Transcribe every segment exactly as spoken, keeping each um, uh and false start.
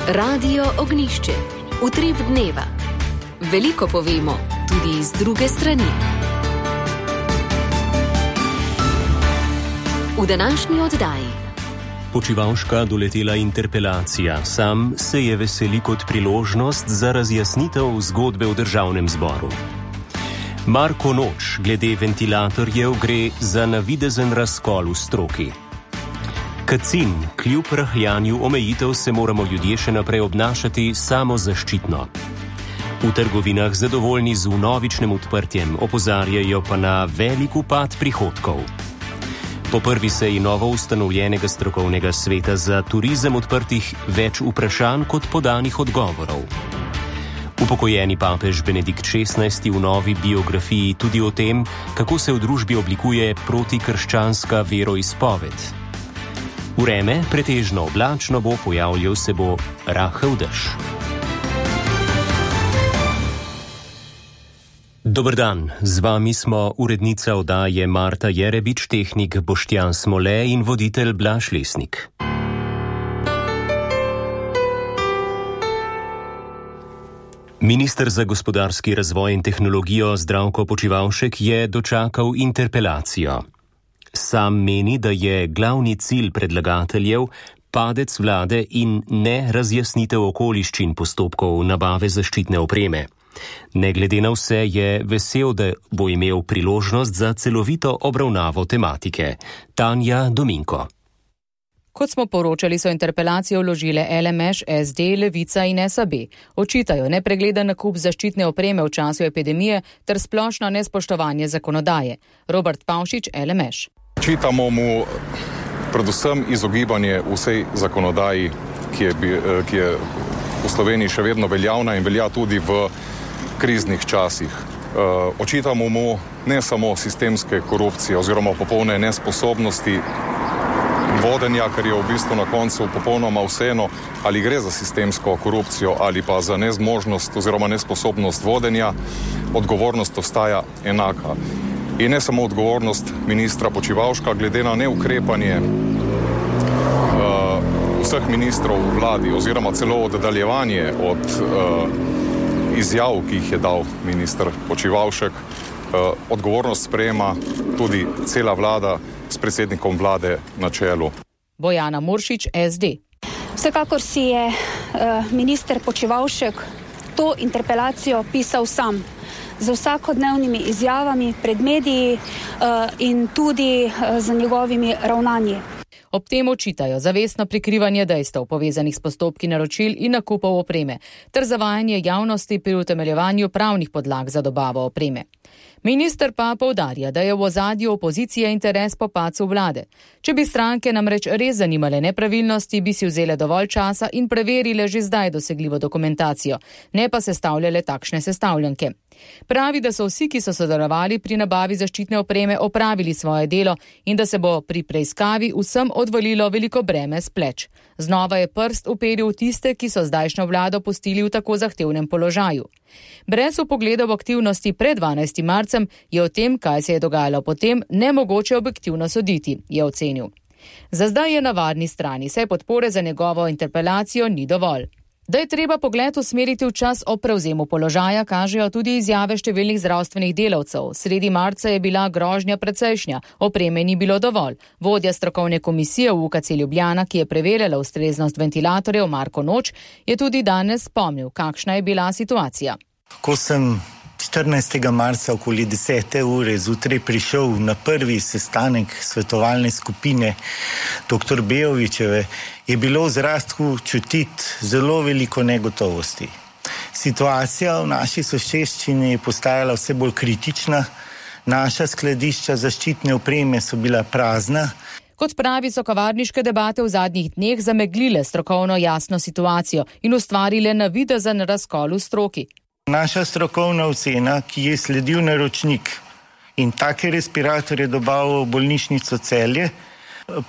Radio Ognišče, utrip dneva. Veliko povemo, tudi iz druge strani. V današnji oddaji. Počivalška doletela interpelacija. Sam se je veseli kot priložnost za razjasnitev zgodbe v državnem zboru. Marko Noč, glede ventilatorjev gre za navidezen razkol v stroki. Kacin, kljub rahljanju omejitev se moramo ljudje še naprej obnašati samozaščitno. V trgovinah zadovoljni z vnovičnim odprtjem, opozarjajo pa na velik upad prihodkov. Po prvi seji novo ustanovljenega strokovnega sveta za turizem odprtih več vprašanj kot podanih odgovorov. Upokojeni papež Benedikt šestnajsti v novi biografiji tudi o tem, kako se v družbi oblikuje protikrščanska veroizpoved. Vreme pretežno oblačno bo, pojavljal se bo rahel dež. Dober dan, z vami smo urednica oddaje Marta Jerebič, tehnik Boštjan Smole in voditelj Blaž Lesnik. Minister za gospodarski razvoj in tehnologijo Zdravko Počivalšek je dočakal interpelacijo. Sam meni, da je glavni cilj predlagateljev padec vlade in ne razjasnitev okoliščin postopkov nabave zaščitne opreme. Ne glede na vse je vesel, da bo imel priložnost za celovito obravnavo tematike. Tanja Dominko. Kot smo poročali, so interpelacijo vložile L M Š, S D, Levica in S A B. Očitajo nepregleden nakup zaščitne opreme v času epidemije ter splošno nespoštovanje zakonodaje. Robert Pavšič, L M Š. Očitamo mu predvsem izogibanje vsej zakonodaji, ki je, ki je v Sloveniji še vedno veljavna in velja tudi v kriznih časih. Očitamo mu ne samo sistemske korupcije oziroma popolne nesposobnosti vodenja, ker je v bistvu na koncu popolnoma vseeno, ali gre za sistemsko korupcijo ali pa za nezmožnost oziroma nesposobnost vodenja, odgovornost ostaja enaka. In ne samo odgovornost ministra Počivalška, glede na neukrepanje uh, vseh ministrov v vladi oziroma celo oddaljevanje od uh, izjav, ki jih je dal minister Počivalšek, uh, odgovornost sprejema tudi cela vlada s predsednikom vlade na čelu. Bojana Muršič, S D. Vsekakor si je uh, minister Počivalšek to interpelacijo pisal sam, z vsakodnevnimi izjavami pred mediji uh, in tudi uh, z njegovimi ravnanji. Ob tem očitajo zavestno prikrivanje dejstev povezanih s postopki naročil in nakupov opreme ter zavajanje javnosti pri utemeljevanju pravnih podlag za dobavo opreme. Minister pa poudarja, da je v ozadju opozicije interes po padcu vlade. Če bi stranke namreč res zanimale nepravilnosti, bi si vzele dovolj časa in preverile že zdaj dosegljivo dokumentacijo, ne pa sestavljale takšne sestavljanke. Pravi, da so vsi, ki so sodelovali pri nabavi zaščitne opreme, opravili svoje delo in da se bo pri preiskavi vsem odvalilo veliko breme s pleč. Znova je prst uperil tiste, ki so zdajšnjo vlado pustili v tako zahtevnem položaju. Brez vpogleda v aktivnosti pred dvanajstim marcem je o tem, kaj se je dogajalo potem, nemogoče objektivno soditi, je ocenil. Za zdaj je na varni strani, saj podpore za njegovo interpelacijo ni dovolj. Da je treba pogled usmeriti v čas o prevzemu položaja, kažejo tudi izjave številnih zdravstvenih delavcev. Sredi marca je bila grožnja precejšnja, opreme ni bilo dovolj. Vodja strokovne komisije v U K C Ljubljana, ki je preverjala ustreznost ventilatorjev, Marko Noč, je tudi danes spomnil, kakšna je bila situacija. Ko sem štirinajstega marca okoli desete ure zjutraj prišel na prvi sestanek svetovalne skupine doktor Bejovićeve, je bilo v zraku čutiti zelo veliko negotovosti. Situacija v naši soseščini je postajala vse bolj kritična, naša skladišča zaščitne opreme so bila prazna. Kot pravi, so kavarniške debate v zadnjih dneh zameglile strokovno jasno situacijo in ustvarile navidezen razkol v stroki. Naša strokovna ocena, ki je sledil naročnik in take respiratorje dobavil v bolnišnico Celje,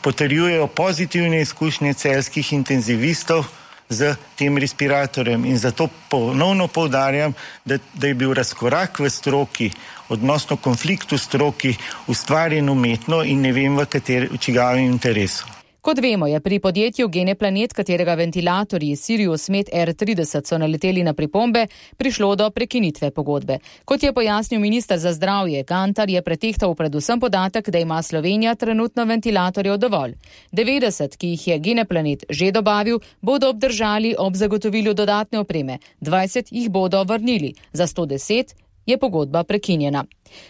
potrjujejo pozitivne izkušnje celjskih intenzivistov z tem respiratorjem. In zato ponovno poudarjam, da, da je bil razkorak v stroki, odnosno konflikt v stroki, ustvarjen umetno in ne vem v kateri, v čigavem interesu. Kot vemo, je pri podjetju Geneplanet, katerega ventilatorji Sirius Med R trideset so naleteli na pripombe, prišlo do prekinitve pogodbe. Kot je pojasnil minister za zdravje Gantar, je pretehtal predvsem podatek, da ima Slovenija trenutno ventilatorjev dovolj. devetdeset, ki jih je Geneplanet že dobavil, bodo obdržali ob zagotovilju dodatne opreme, dvajset jih bodo vrnili, za sto deset je pogodba prekinjena.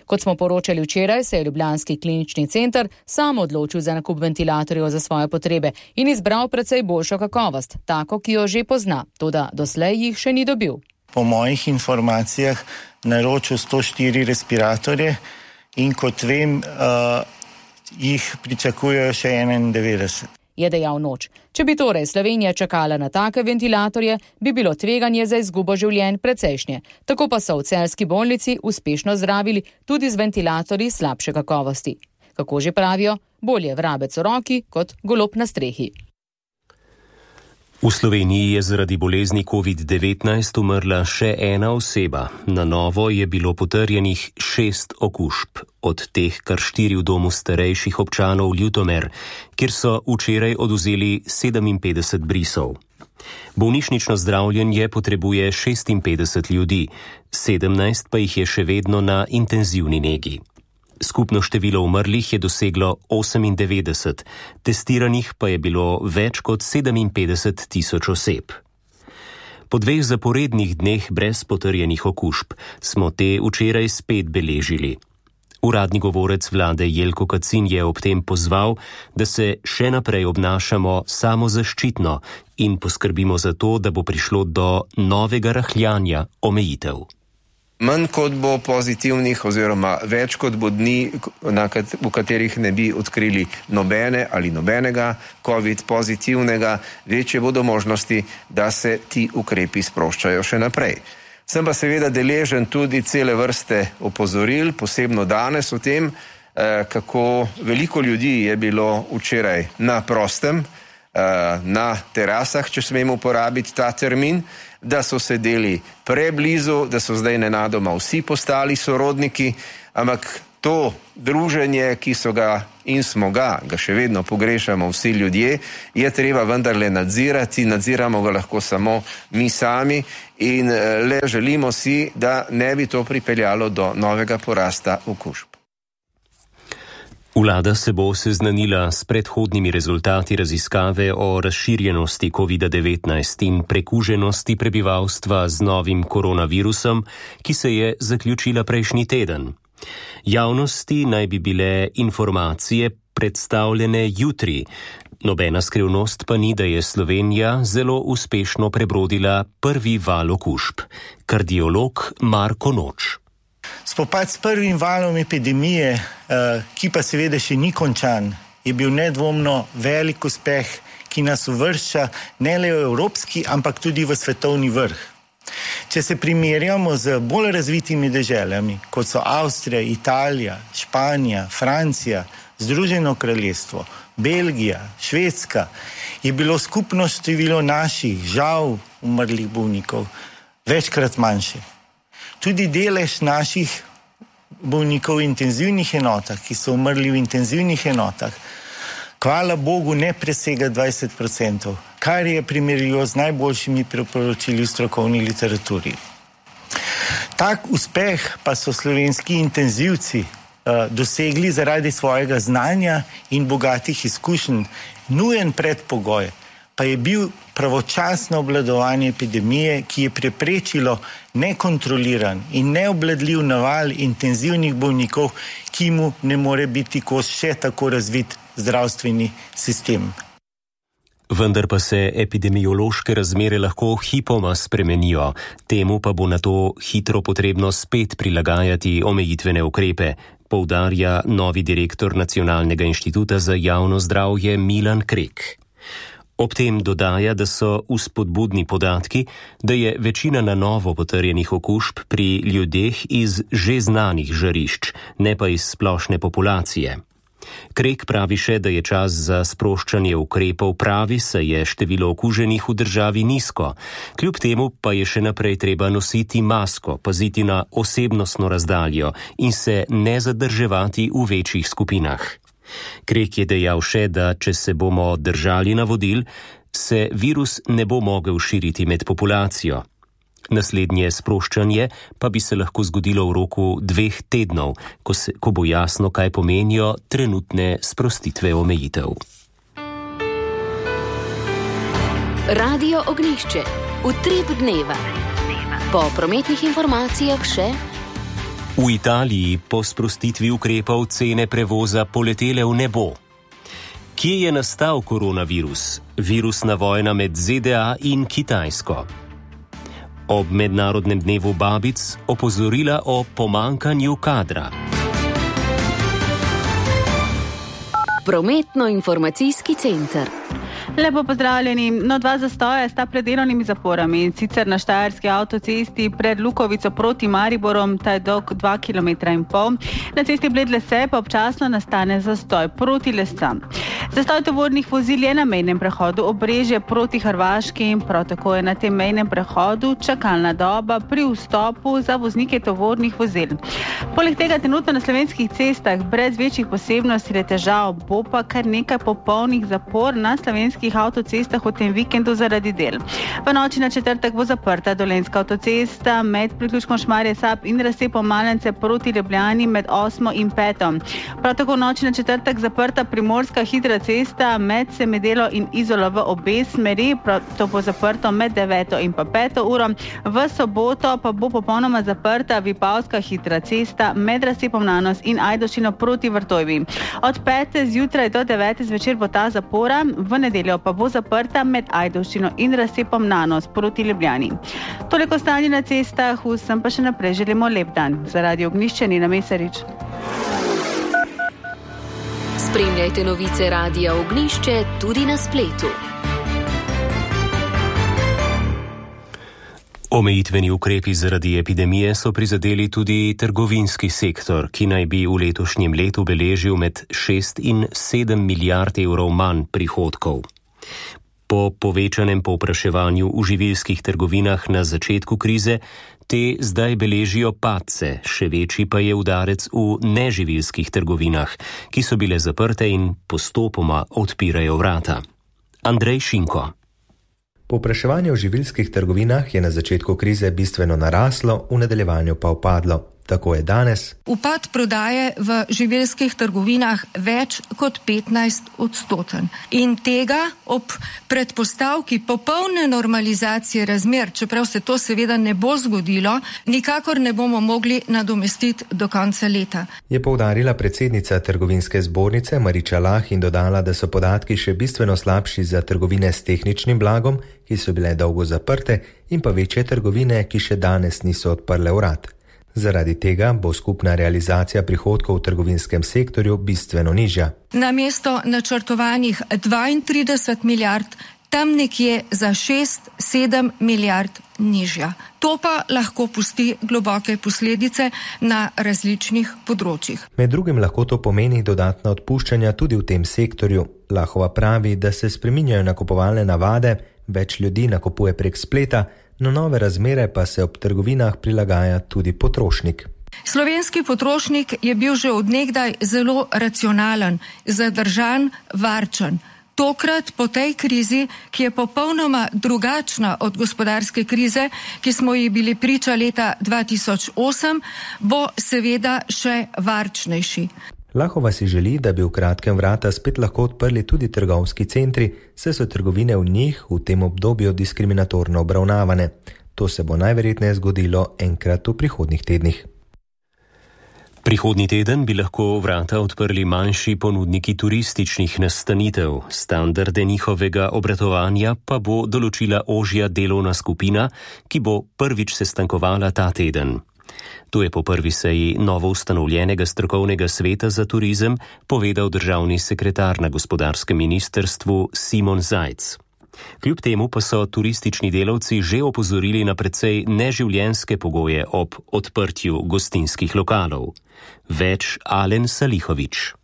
Kot smo poročali včeraj, se je Ljubljanski klinični center sam odločil za nakup ventilatorjev za svoje potrebe in izbral precej boljšo kakovost, tako, ki jo že pozna, toda doslej jih še ni dobil. Po mojih informacijah naročil sto štiri respiratorje in kot vem, uh, jih pričakujejo še enaindevetdeset. Je dejal Noč. Če bi torej Slovenija čakala na take ventilatorje, bi bilo tveganje za izgubo življenj precejšnje. Tako pa so v celjski bolnici uspešno zdravili tudi z ventilatorji slabše kakovosti. Kako že pravijo, bolje vrabec v roki kot golob na strehi. V Sloveniji je zaradi bolezni covid devetnajst umrla še ena oseba. Na novo je bilo potrjenih šest okužb, od teh kar štiri v domu starejših občanov Ljutomer, kjer so včeraj odvzeli sedeminpetdeset brisov. Bolnišnično zdravljenje potrebuje šestinpetdeset ljudi, sedemnajst pa jih je še vedno na intenzivni negi. Skupno število umrlih je doseglo osemindevetdeset, testiranih pa je bilo več kot sedeminpetdeset tisoč oseb. Po dveh zaporednih dneh brez potrjenih okužb smo te včeraj spet beležili. Uradni govorec vlade Jelko Kacin je ob tem pozval, da se še naprej obnašamo samozaščitno in poskrbimo za to, da bo prišlo do novega rahljanja omejitev. Manj kot bo pozitivnih oziroma več kot bo dni, v katerih ne bi odkrili nobene ali nobenega covid pozitivnega, večje bodo možnosti, da se ti ukrepi sproščajo še naprej. Sem pa seveda deležen tudi cele vrste opozoril, posebno danes o tem, kako veliko ljudi je bilo včeraj na prostem, na terasah, če smemo uporabiti ta termin, da so sedeli preblizu, da so zdaj nenadoma vsi postali sorodniki, ampak to druženje, ki so ga in smo ga, ga še vedno pogrešamo vsi ljudje, je treba vendarle nadzirati, nadziramo ga lahko samo mi sami in le želimo si, da ne bi to pripeljalo do novega porasta okužb. Vlada se bo seznanila s predhodnimi rezultati raziskave o razširjenosti covid devetnajst in prekuženosti prebivalstva z novim koronavirusom, ki se je zaključila prejšnji teden. Javnosti naj bi bile informacije predstavljene jutri. Nobena skrivnost pa ni, da je Slovenija zelo uspešno prebrodila prvi val okužb. Kardiolog Marko Noč. Spopad s prvim valom epidemije, ki pa seveda še ni končan, je bil nedvomno velik uspeh, ki nas uvršča ne le v evropski, ampak tudi v svetovni vrh. Če se primerjamo z bolj razvitimi deželami, kot so Avstrija, Italija, Španija, Francija, Združeno kraljestvo, Belgija, Švedska, je bilo skupno število naših, žal, umrlih bolnikov večkrat manjše. Tudi delež naših bolnikov v intenzivnih enotah, ki so umrli v intenzivnih enotah, hvala Bogu ne presega dvajset procentov, kar je primerljivo z najboljšimi priporočili v strokovni literaturi. Tak uspeh pa so slovenski intenzivci uh, dosegli zaradi svojega znanja in bogatih izkušenj. Nujen predpogoj pa je bil pravočasno obvladovanje epidemije, ki je preprečilo nekontroliran in neobvladljiv naval intenzivnih bolnikov, ki mu ne more biti kos še tako razvit zdravstveni sistem. Vendar pa se epidemiološke razmere lahko hipoma spremenijo, temu pa bo na to hitro potrebno spet prilagajati omejitvene ukrepe, poudarja novi direktor Nacionalnega inštituta za javno zdravje Milan Krek. Ob tem dodaja, da so vzpodbudni podatki, da je večina na novo potrjenih okužb pri ljudeh iz že znanih žarišč, ne pa iz splošne populacije. Krek pravi še, da je čas za sproščanje ukrepov pravi, saj je število okuženih v državi nizko. Kljub temu pa je še naprej treba nositi masko, paziti na osebnostno razdaljo in se ne zadrževati v večjih skupinah. Krek je dejal še, da če se bomo držali navodil, se virus ne bo mogel širiti med populacijo. Naslednje sproščanje pa bi se lahko zgodilo v roku dveh tednov, ko, se, ko bo jasno, kaj pomenijo trenutne sprostitve omejitev. Radio Ognjišče. Utrip dneva. Po prometnih informacijah še. V Italiji po sprostitvi ukrepov cene prevoza poletele v nebo. Kje je nastal koronavirus? Virusna vojna med Z D A in Kitajsko. Ob mednarodnem dnevu babic opozorila o pomankanju kadra. Prometno-informacijski center. Lepo pozdravljeni. No, dva zastoja sta pred delovnimi zaporami, in sicer na štajerski avtocesti pred Lukovico proti Mariborom, ta je dolg dva kilometra in pol. Na cesti Bled-Lese pa občasno nastane zastoj proti Lescam. Zastoj tovornih vozil je na mejnem prehodu Obrežje proti Hrvaški, prav tako je na tem mejnem prehodu čakalna doba pri vstopu za voznike tovornih vozil. Poleg tega trenutno na slovenskih cestah brez večjih posebnosti ali težav bo pa kar nekaj popolnih zapor na slovenskih avtocestah v tem vikendu zaradi del. V noči na četrtek bo zaprta Dolenjska avtocesta med priključkom Šmarje-Sap in razcepom Malence proti Ljubljani med osmo in peto. Prav tako v noči na četrtek zaprta Primorska hitra cesta med Semedelo in Izolo v obe smeri, to bo zaprto med deveto in pa peto uro. V soboto pa bo popolnoma zaprta Vipavska hitra cesta med razcepom Nanos in Ajdovščino proti Vrtojbi. Od pete zjutraj do devete zvečer bo ta zapora, v nedeljo pa bo zaprta med Ajdovščino in razcepom Nanos proti Ljubljani. Toliko stanje na cestah, vsem pa še naprej želimo lep dan. Za Radio Ognjišče Nina Mesarič. Spremljajte novice Radia Ognjišče tudi na spletu. Omejitveni ukrepi zaradi epidemije so prizadeli tudi trgovinski sektor, ki naj bi v letošnjem letu beležil med šest in sedem milijard evrov manj prihodkov. Po povečanem povpraševanju v živilskih trgovinah na začetku krize, te zdaj beležijo padce, še večji pa je udarec v neživilskih trgovinah, ki so bile zaprte in postopoma odpirajo vrata. Andrej Šinko. Povpraševanje v živilskih trgovinah je na začetku krize bistveno naraslo, v nadaljevanju pa upadlo. Tako je danes. Upad prodaje v živilskih trgovinah več kot petnajst odstoten. In tega ob predpostavki popolne normalizacije razmer, čeprav se to seveda ne bo zgodilo, nikakor ne bomo mogli nadomestiti do konca leta. Je poudarila predsednica trgovinske zbornice Mariča Lah in dodala, da so podatki še bistveno slabši za trgovine s tehničnim blagom, ki so bile dolgo zaprte, in pa večje trgovine, ki še danes niso odprle vrat. Zaradi tega bo skupna realizacija prihodkov v trgovinskem sektorju bistveno nižja. Namesto načrtovanih dvaintrideset milijard, tam nekje za šest sedem milijard nižja. To pa lahko pusti globoke posledice na različnih področjih. Med drugim lahko to pomeni dodatna odpuščanja tudi v tem sektorju. Lahova pravi, da se spreminjajo nakupovalne navade, več ljudi nakupuje prek spleta, na nove razmere pa se ob trgovinah prilagaja tudi potrošnik. Slovenski potrošnik je bil že od nekdaj zelo racionalen, zadržan, varčen. Tokrat po tej krizi, ki je popolnoma drugačna od gospodarske krize, ki smo ji bili priča leta dva tisoč osem, bo seveda še varčnejši. Lahova si želi, da bi v kratkem vrata spet lahko odprli tudi trgovski centri, saj so trgovine v njih v tem obdobju diskriminatorno obravnavane. To se bo najverjetneje zgodilo enkrat v prihodnjih tednih. Prihodnji teden bi lahko vrata odprli manjši ponudniki turističnih nastanitev. Standarde njihovega obratovanja pa bo določila ožja delovna skupina, ki bo prvič sestankovala ta teden. To je po prvi seji novo ustanovljenega strokovnega sveta za turizem povedal državni sekretar na gospodarskem ministrstvu Simon Zajc. Kljub temu pa so turistični delavci že opozorili na precej neživljenjske pogoje ob odprtju gostinskih lokalov. Več Alen Salihovič.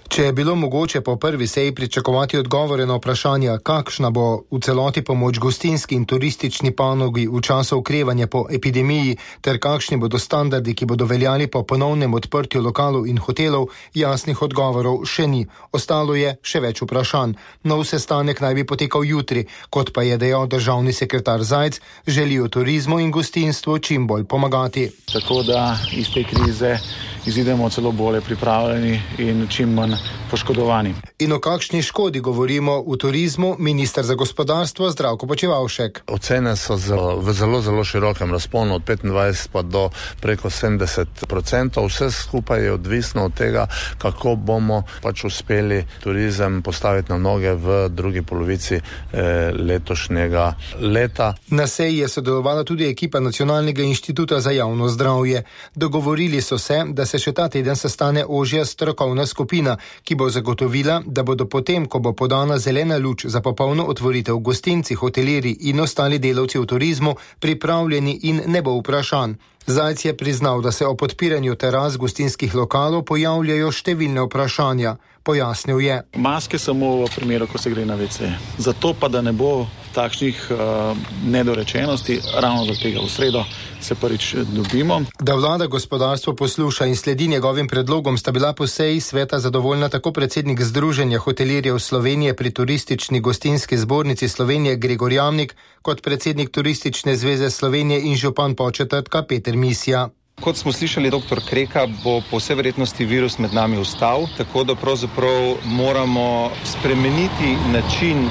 Če je bilo mogoče po prvi seji pričakovati odgovore na vprašanja, kakšna bo v celoti pomoč gostinski in turistični panogi v času okrevanja po epidemiji, ter kakšni bodo standardi, ki bodo veljali po ponovnem odprtju lokalov in hotelov, jasnih odgovorov še ni. Ostalo je še več vprašanj. Nov sestanek naj bi potekal jutri, kot pa je dejal državni sekretar Zajc, želijo turizmu in gostinstvu čim bolj pomagati. Tako da iz te krize izidemo celo bolje pripravljeni in čim manj poškodovani. In o kakšni škodi govorimo v turizmu, minister za gospodarstvo Zdravko Počivalšek. Ocene so v zelo, zelo širokem razponu, od petindvajset pa do preko sedemdeset odstotkov. Vse skupaj je odvisno od tega, kako bomo pač uspeli turizem postaviti na noge v drugi polovici eh, letošnjega leta. Na seji je sodelovala tudi ekipa Nacionalnega inštituta za javno zdravje. Dogovorili so se, da se še ta teden sestane ožja strokovna skupina, ki bo zagotovila, da bodo potem, ko bo podana zelena luč za popolno otvoritev gostinci, hotelirji in ostali delavci v turizmu, pripravljeni in ne bo vprašanj. Zajc je priznal, da se o podpiranju teras gostinskih lokalov pojavljajo številne vprašanja. Pojasnil je. Maske samo v primeru, ko se gre na ve ce. Zato pa, da ne bo takšnih uh, nedorečenosti, ravno do tega v sredo se prvič dobimo. Da vlada gospodarstvo posluša in sledi njegovim predlogom, sta bila po seji sveta zadovoljna tako predsednik Združenja hotelirjev Slovenije pri Turistični gostinski zbornici Slovenije Gregor Jamnik, kot predsednik Turistične zveze Slovenije in župan Podčetrtka Peter Misja. Kot smo slišali, doktor Kreka, bo po vsej verjetnosti virus med nami ostal, tako da pravzaprav moramo spremeniti način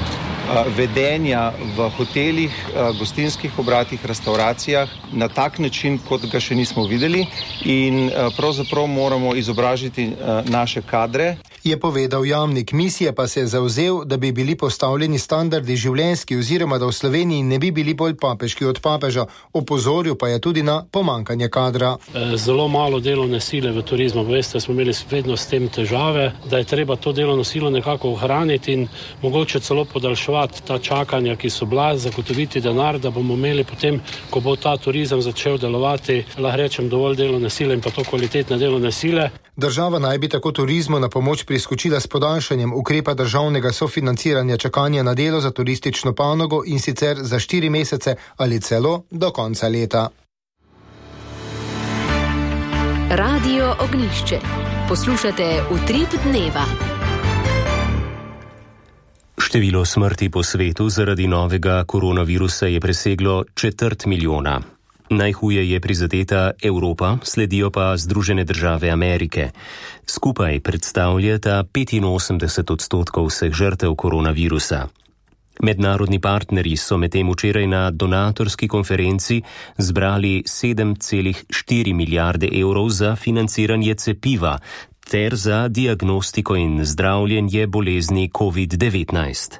vedenja v hotelih, gostinskih obratih, restauracijah na tak način, kot ga še nismo videli, in pravzaprav moramo izobražiti naše kadre. Je povedal Jamnik. Misija pa se je zavzel, da bi bili postavljeni standardi življenjski oziroma da v Sloveniji ne bi bili bolj papeški od papeža. Opozoril pa je tudi na pomankanje kadra. Zelo malo delovne sile v turizmu. Veste, smo imeli vedno s tem težave, da je treba to delovno silo nekako ohraniti in mogoče celo podaljševati ta čakanja, ki so bila, zagotoviti denar, da bomo imeli potem, ko bo ta turizem začel delovati, lahko rečem, dovolj delovne sile in pa to kvalitetne delovne sile. Država naj bi tako turizmu na pomoč priskočila s podaljšanjem ukrepa državnega sofinanciranja čakanja na delo za turistično panogo, in sicer za štiri mesece ali celo do konca leta. Radio Ognjišče. Poslušate Utrip dneva. Število smrti po svetu zaradi novega koronavirusa je preseglo četrt milijona. Najhuje je prizadeta Evropa, sledijo pa Združene države Amerike. Skupaj predstavljata petinosemdeset odstotkov vseh žrtev koronavirusa. Mednarodni partnerji so medtem včeraj na donatorski konferenci zbrali sedem celih štiri milijarde evrov za financiranje cepiva ter za diagnostiko in zdravljenje bolezni covid devetnajst.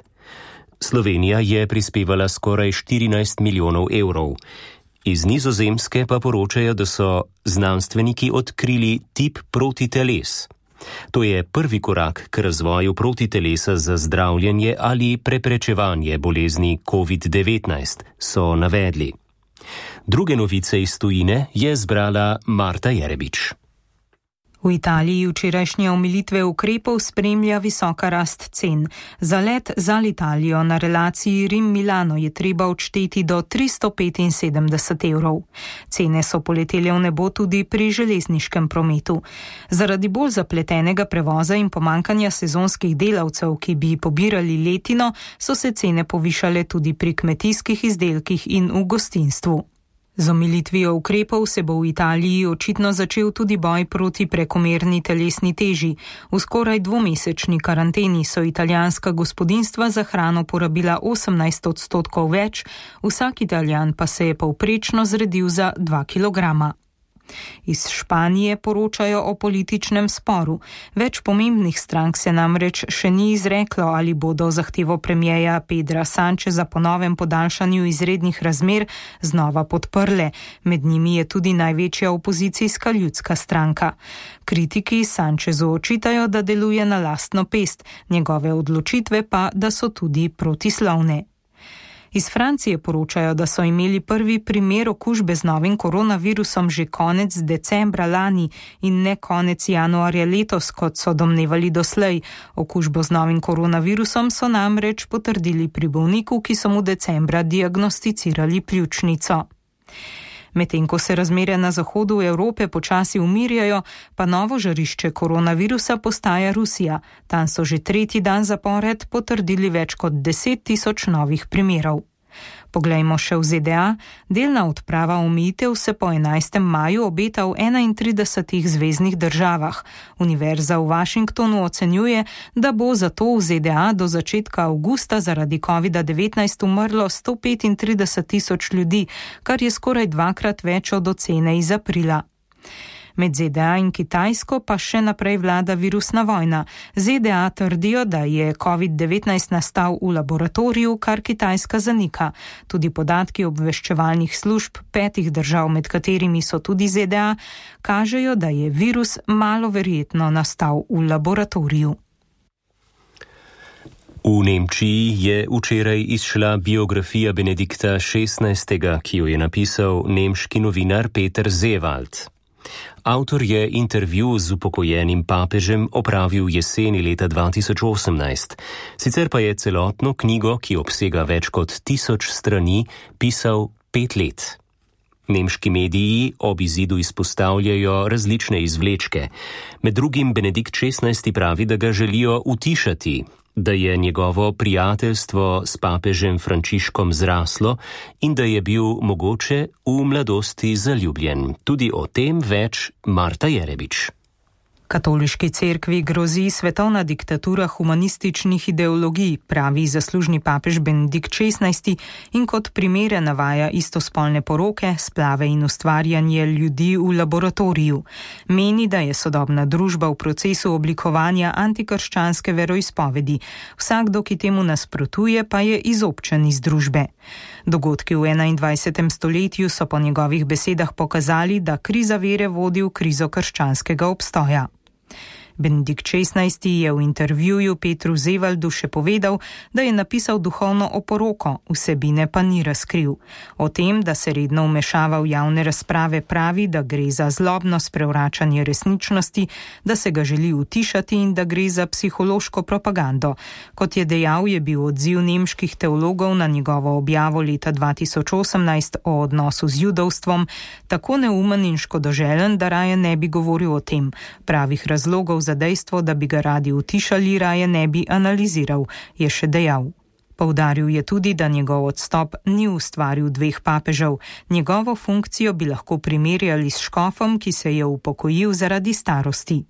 Slovenija je prispevala skoraj štirinajst milijonov evrov. Iz Nizozemske pa poročajo, da so znanstveniki odkrili tip protiteles. To je prvi korak k razvoju protitelesa za zdravljenje ali preprečevanje bolezni covid devetnajst, so navedli. Druge novice iz tujine je zbrala Marta Jerebič. V Italiji včerajšnje omilitve ukrepov spremlja visoka rast cen. Za let za Italijo na relaciji Rim-Milano je treba odšteti do tristo petinsedemdeset evrov. Cene so poletele v nebo tudi pri železniškem prometu. Zaradi bolj zapletenega prevoza in pomankanja sezonskih delavcev, ki bi pobirali letino, so se cene povišale tudi pri kmetijskih izdelkih in v gostinstvu. Z omilitvijo ukrepov se bo v Italiji očitno začel tudi boj proti prekomerni telesni teži. V skoraj dvomesečni karanteni so italijanska gospodinjstva za hrano porabila osemnajst odstotkov več, vsak Italijan pa se je povprečno zredil za dva kilograma. Iz Španije poročajo o političnem sporu. Več pomembnih strank se namreč še ni izreklo, ali bodo zahtevo premierja Pedra Sancheza po novem podaljšanju izrednih razmer znova podprle. Med njimi je tudi največja opozicijska ljudska stranka. Kritiki Sanchezu očitajo, da deluje na lastno pest, njegove odločitve pa, da so tudi protislovne. Iz Francije poročajo, da so imeli prvi primer okužbe z novim koronavirusom že konec decembra lani in ne konec januarja letos, kot so domnevali doslej. Okužbo z novim koronavirusom so namreč potrdili pri bolniku, ki so mu decembra diagnosticirali pljučnico. Medtem ko se razmere na zahodu Evrope počasi umirjajo, pa novo žarišče koronavirusa postaja Rusija. Tam so že tretji dan zapored potrdili več kot deset tisoč novih primerov. Poglejmo še v Z D A. Delna odprava omejitev se po enajstem maju obeta v enaintridesetih zveznih državah. Univerza v Washingtonu ocenjuje, da bo zato v Z D A do začetka avgusta zaradi kovida devetnajst umrlo sto petintrideset tisoč ljudi, kar je skoraj dvakrat več od ocene iz aprila. Med Z D A in Kitajsko pa še naprej vlada virusna vojna. Z D A trdijo, da je covid devetnajst nastal v laboratoriju, kar Kitajska zanika. Tudi podatki obveščevalnih služb petih držav, med katerimi so tudi Z D A, kažejo, da je virus malo verjetno nastal v laboratoriju. V Nemčiji je včeraj izšla biografija Benedikta šestnajstega, ki jo je napisal nemški novinar Peter Seewald. Avtor je intervju z upokojenim papežem opravil jeseni leta dva tisoč osemnajst. Sicer pa je celotno knjigo, ki obsega več kot tisoč strani, pisal pet let. Nemški mediji ob izidu izpostavljajo različne izvlečke. Med drugim Benedikt šestnajsti pravi, da ga želijo utišati, da je njegovo prijateljstvo s papežem Frančiškom zraslo in da je bil mogoče v mladosti zaljubljen. Tudi o tem več Marta Jerebič. Katoliški cerkvi grozi svetovna diktatura humanističnih ideologij, pravi zaslužni papež Benedikt šestnajsti in kot primere navaja istospolne poroke, splave in ustvarjanje ljudi v laboratoriju. Meni, da je sodobna družba v procesu oblikovanja antikrščanske veroizpovedi. Vsakdo, ki temu nasprotuje, pa je izobčen iz družbe. Dogodki v enaindvajsetem stoletju so po njegovih besedah pokazali, da kriza vere vodi v krizo krščanskega obstoja. Benedikt šestnajsti je v intervjuju Petru Seewaldu še povedal, da je napisal duhovno oporoko, vsebine pa ni razkril. O tem, da se redno vmešava v javne razprave, pravi, da gre za zlobno sprevračanje resničnosti, da se ga želi utišati in da gre za psihološko propagando. Kot je dejal, je bil odziv nemških teologov na njegovo objavo leta dva tisoč osemnajst o odnosu z judovstvom tako neumen in škodoželen, da raje ne bi govoril o tem. Pravih razlogov za za dejstvo, da bi ga radi utišali, raje ne bi analiziral, je še dejal. Poudaril je tudi, da njegov odstop ni ustvaril dveh papežev. Njegovo funkcijo bi lahko primerjali s škofom, ki se je upokojil zaradi starosti.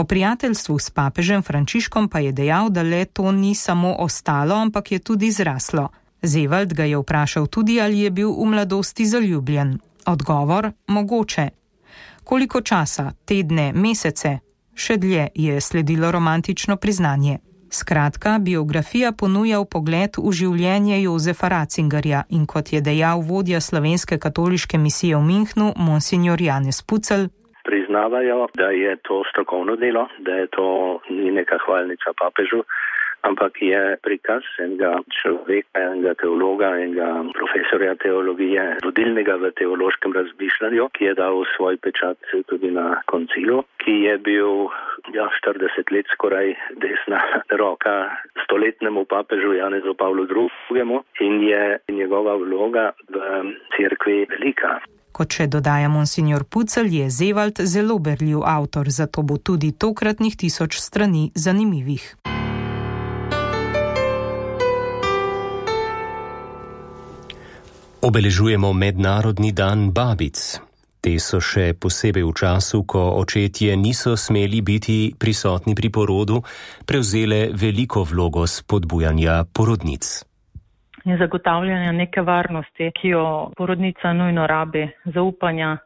O prijateljstvu s papežem Frančiškom pa je dejal, da le to ni samo ostalo, ampak je tudi zraslo. Seewald ga je vprašal tudi, ali je bil v mladosti zaljubljen. Odgovor: mogoče. Koliko časa, tedne, mesece? Še dlje je sledilo romantično priznanje. Skratka, biografija ponuja vpogled v življenje Jozefa Ratzingerja in kot je dejal vodja slovenske katoliške misije v Münchnu, monsignor Janez Pucelj, priznavajo, da je to strokovno delo, da je to ni neka hvalnica papežu, ampak je prikaz enega človeka, enega teologa, enega profesorja teologije, vodilnega v teološkem razmišljanju, ki je dal svoj pečat tudi na koncilu, ki je bil ja, štirideset let skoraj desna roka stoletnemu papežu Janezu Pavlu drugemu in je njegova vloga v cerkvi velika. Kot še dodaja monsignor Pucelj, je Seewald zelo berljiv avtor, zato bo tudi tokratnih tisoč strani zanimivih. Obeležujemo Mednarodni dan babic. Te so še posebej v času, ko očetje niso smeli biti prisotni pri porodu, prevzele veliko vlogo spodbujanja porodnic. In zagotavljanja neke varnosti, ki jo porodnica nujno rabi, zaupanja,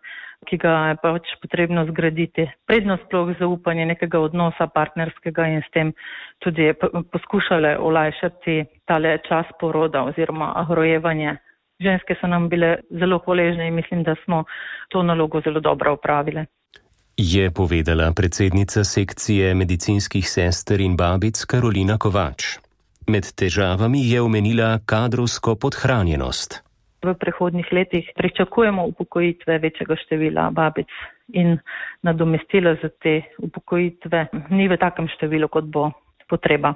ki ga je pač potrebno zgraditi. Prednost sploh zaupanje nekega odnosa partnerskega in s tem tudi poskušale olajšati tale čas poroda oziroma rojevanje. Ženske so nam bile zelo hvaležne in mislim, da smo to nalogo zelo dobro opravile. Je povedala predsednica sekcije medicinskih sester in babic Karolina Kovač. Med težavami je omenila kadrovsko podhranjenost. V prihodnjih letih pričakujemo upokojitve večjega števila babic in nadomestilo za te upokojitve ni v takem številu, kot bo potreba.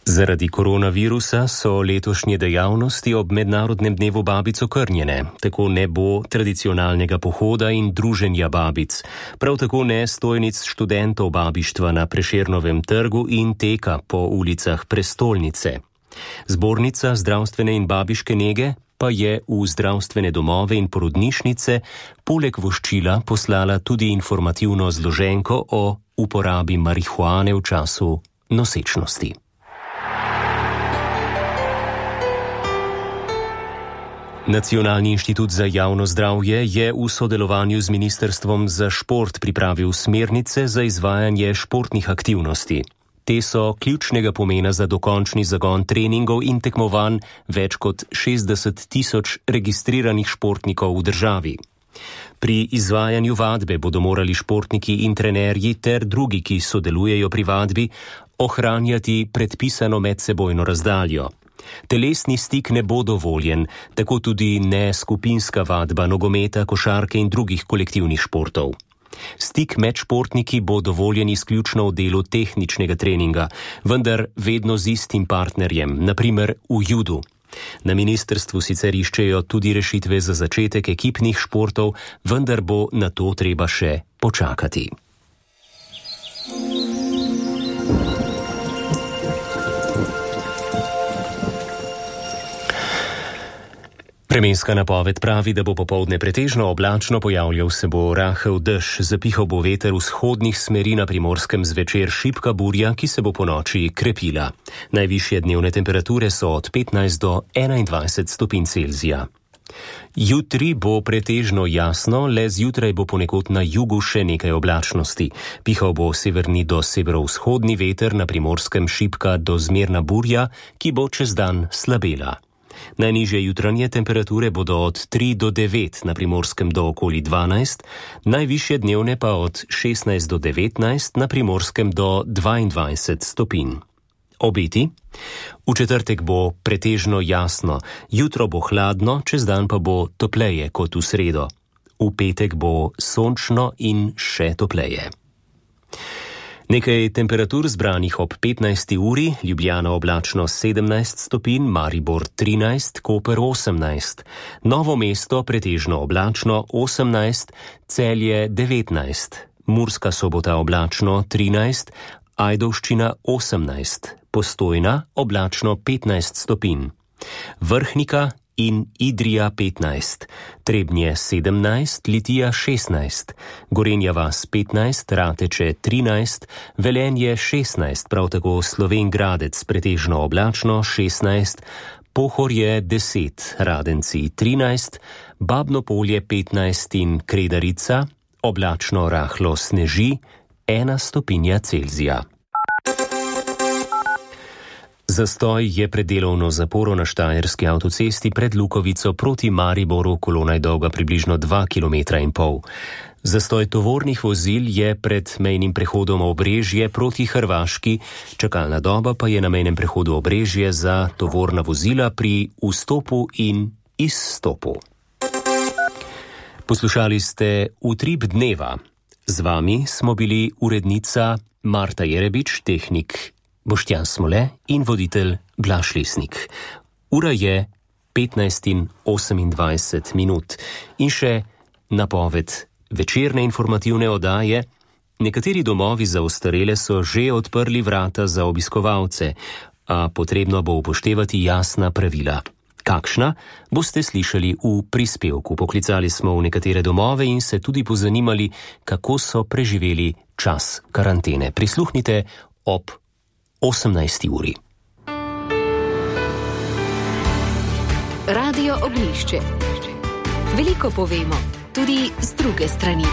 Zaradi koronavirusa so letošnje dejavnosti ob Mednarodnem dnevu babic okrnjene. Tako ne bo tradicionalnega pohoda in druženja babic. Prav tako ne stojnic študentov babištva na Prešernovem trgu in teka po ulicah prestolnice. Zbornica zdravstvene in babiške nege pa je v zdravstvene domove in porodnišnice poleg voščila poslala tudi informativno zloženko o uporabi marihuane v času nosečnosti. Nacionalni inštitut za javno zdravje je v sodelovanju z Ministrstvom za šport pripravil smernice za izvajanje športnih aktivnosti. Te so ključnega pomena za dokončni zagon treningov in tekmovanj več kot šestdeset tisoč registriranih športnikov v državi. Pri izvajanju vadbe bodo morali športniki in trenerji ter drugi, ki sodelujejo pri vadbi, ohranjati predpisano medsebojno razdaljo. Telesni stik ne bo dovoljen, tako tudi ne skupinska vadba nogometa, košarke in drugih kolektivnih športov. Stik med športniki bo dovoljen izključno v delu tehničnega treninga, vendar vedno z istim partnerjem, na primer v judu. Na ministrstvu sicer iščejo tudi rešitve za začetek ekipnih športov, vendar bo na to treba še počakati. Vremenska napoved pravi, da bo popoldne pretežno oblačno, pojavljal se bo rahel dež, zapihal bo veter vzhodnih smeri, na Primorskem zvečer šibka burja, ki se bo ponoči krepila. Najvišje dnevne temperature so od petnajst do enaindvajset stopinj Celzija. Jutri bo pretežno jasno, le zjutraj bo ponekod na jugu še nekaj oblačnosti. Pihal bo severni do severovzhodni veter, na Primorskem šibka do zmerna burja, ki bo čez dan slabela. Najnižje jutranje temperature bodo od tri do devet, na Primorskem do okoli dvanajst, najvišje dnevne pa od šestnajst do devetnajst, na Primorskem do dvaindvajset stopinj. Obeti? V četrtek bo pretežno jasno, jutro bo hladno, čez dan pa bo topleje kot v sredo. V petek bo sončno in še topleje. Nekaj temperatur zbranih ob petnajsti uri, Ljubljana oblačno sedemnajst stopinj, Maribor trinajst, Koper osemnajst, Novo mesto pretežno oblačno osemnajst, Celje devetnajst, Murska Sobota oblačno trinajst, Ajdovščina osemnajst, Postojna oblačno petnajst stopinj, Vrhnika in Idrija petnajst, Trebnje sedemnajst, Litija šestnajst, Gorenja vas petnajst, Rateče trinajst, Velenje šestnajst, prav tako Slovenj Gradec pretežno oblačno šestnajst, Pohorje deset, Radenci trinajst, Babno Polje petnajst in Kredarica oblačno rahlo sneži, ena stopinja Celzija. Zastoj je pred delovno zaporo na Štajerski avtocesti pred Lukovico proti Mariboru, kolona je dolga približno dva kilometra in pol. Zastoj tovornih vozil je pred mejnim prehodom Obrežje proti Hrvaški, čakalna doba pa je na mejnem prehodu Obrežje za tovorna vozila pri vstopu in izstopu. Poslušali ste Utrip dneva. Z vami smo bili urednica Marta Jerebič, tehnik Boštjan Smole in voditelj Blaž Lesnik. Ura je petnajst in osemindvajset minut in še napoved večerne informativne oddaje. Nekateri domovi za ostarele so že odprli vrata za obiskovalce, a potrebno bo upoštevati jasna pravila. Kakšna, boste slišali v prispevku. Poklicali smo v nekatere domove in se tudi pozanimali, kako so preživeli čas karantene. Prisluhnite ob osemnajsti uri. Radio Oglišče. Veliko povemo, tudi z druge strani.